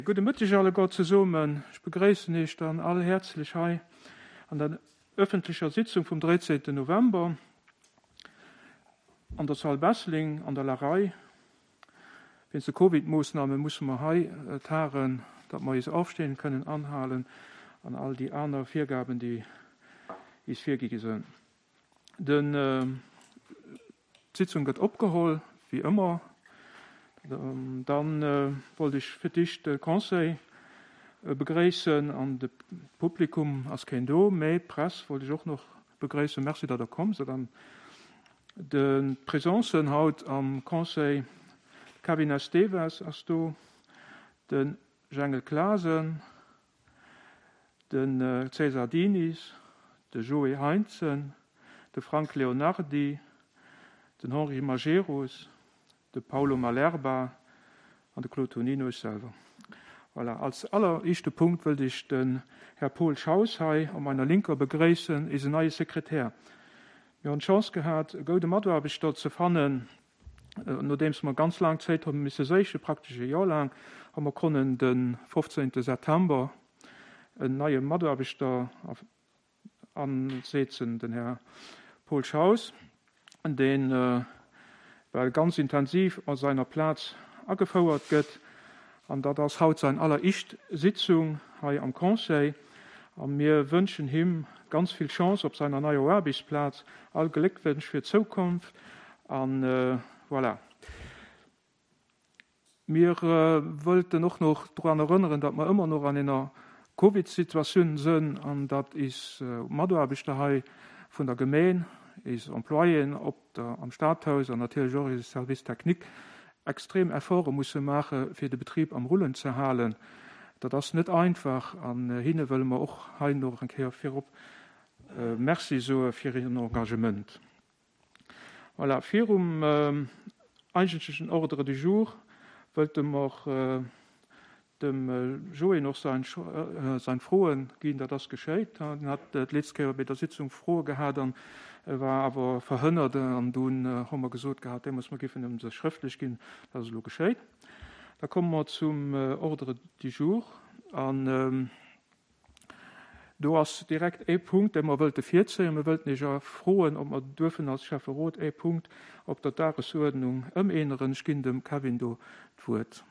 Gudde Mëtteg alleguer zesummen. Ech begréissen Iech dann all häerzlech hei an der öffentlecher Sitzung vum 13. November an der Salle Besseling an der Larei. Wéinst de Covid-Moossname musse mer hei tagen, datt mer eis Ofstänn kënnen anhalen an all déi aner Virgaben, déi is virgi gi sënn. Den d'Sitzung gëtt opgeholl, wéi ëmmer. Dann wollt ech fir d'éischt de Conseil begréissen an de Publikum ass keen do, mä d'Press wollt ech och nach begréissen. Merci, datt Der komm sidd. An d'Presencen haut am Conseil, de Kevin Esteves ass do, de Jengel Clasen, De César Diniz, de Joé Heintzen, de Frank Leonardy, den Henri Majerus, de Paulo Malerba an de Claude Tonino, ech selwer. Voilà, als alleréischte Punkt wëllt ech den Här Paul Schaus hei op meiner Linker begréissen, eisen neie Sekretär. Mir hunn d'Chance gehat, e goude Mataarbechter ze fannen, Nodeems mer ganz laang Zéit hu misse séichen, praktesch e Joer laang, hu mer konnen de 15 September en neie Mataarbechter ansetzen, den Här Paul Schaus, deen well ganz intensiv a seiner Plaz agefouert gëtt. An dat ass haut sein alleréischt Sitzung hei am Conseil. A mir wënschen him ganz vill Chance op seiner neier Aarbechtsplaz, all Gléckwënsch fir d'Zoukonft an voilà. Mir wëllten och nach drun erënneren, datt mer ëmmer nach an enger Covid-Situatioun sënn an datt is Mataarbechter hei vun der Gemeen, is Employéen op der am Stadhaus an natierlech och eise Service technique extrem Efforte musse maache fir de Betrib am Rullen ze halen. Dat ass net einfach an hinne wëlle mer och hei nach eng Kéier virop Merci soe fir hiren Engagement. Voilà, virum eigentlechen Ordre du jour wëllte mer dem Joé och sein sein Froen ginn. Dat ass geschéit. En hat d'letzt Kéier bei der Sitzung Froe gehat an war awer verhënnert an dunn hu mer gesot gehat deemools, mer géifen em se schrëftlech ginn. Dat ass elo geschéit. Da komme mer zum Ordre du jour an do ass direkt ee Punkt, dee mer wëlte virzéien. Mir wëllten Iech froen, ob mer duerfen als Schäfferot ee Punkt op der Dagesuerdnung ëmänneren. Ech ginn dem Kevin do d'Wuert.